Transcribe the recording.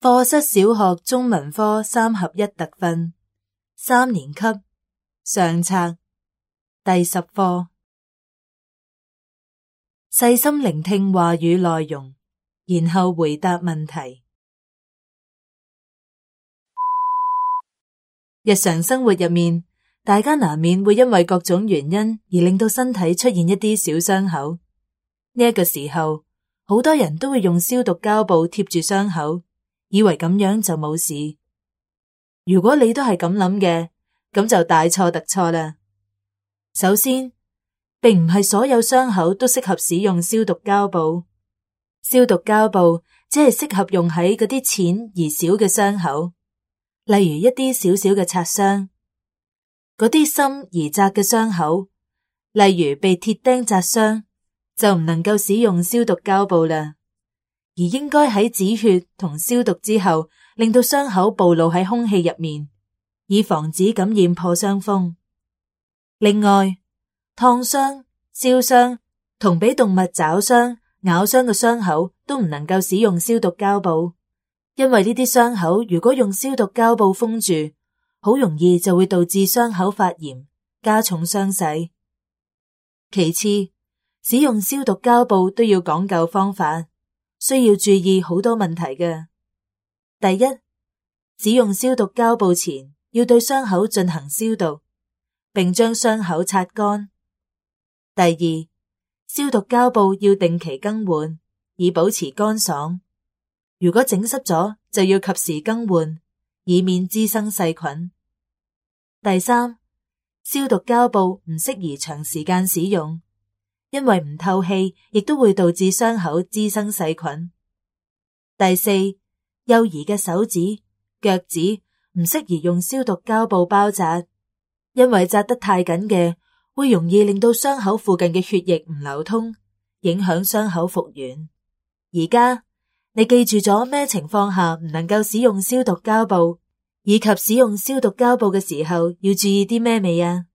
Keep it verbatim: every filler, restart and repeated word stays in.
課室小學中文科三合一特訓，三年級上冊第十課，細心聆聽話語內容，然後回答問題。日常生活入面，大家難免會因為各種原因而令到身體出現一啲小傷口。呢一個時候，好多人都會用消毒膠布貼住傷口，以為咁樣就冇事。如果你都係咁諗嘅，咁就大錯特錯啦。首先，並唔係所有傷口都適合使用消毒膠布。消毒膠布只係適合用喺嗰啲淺而小嘅傷口，例如一啲小小嘅擦傷。嗰啲深而窄嘅傷口，例如被鐵釘扎傷，就唔能夠使用消毒膠布啦。而應該喺止血同消毒之後，令到傷口暴露喺空氣入面，以防止感染破傷風。另外，燙傷、燒傷同俾動物抓傷、咬傷嘅傷口都唔能夠使用消毒膠布，因為呢啲傷口如果用消毒膠布封住，好容易就會導致傷口發炎，加重傷勢。其次，使用消毒膠布都要講究方法，需要注意好多問題嘅。第一，使用消毒膠布前要對傷口進行消毒，並將傷口擦乾。第二，消毒膠布要定期更換，以保持乾爽。如果整濕咗，就要及時更換，以免滋生細菌。第三，消毒膠布唔適宜長時間使用，因為唔透氣，亦都會導致傷口滋生細菌。第四，幼兒嘅手指、腳趾唔適宜用消毒膠布包紮，因為紮得太緊嘅，會容易令到傷口附近嘅血液唔流通，影響傷口復原。而家你記住咗咩情況下唔能夠使用消毒膠布，以及使用消毒膠布嘅時候要注意啲咩未啊？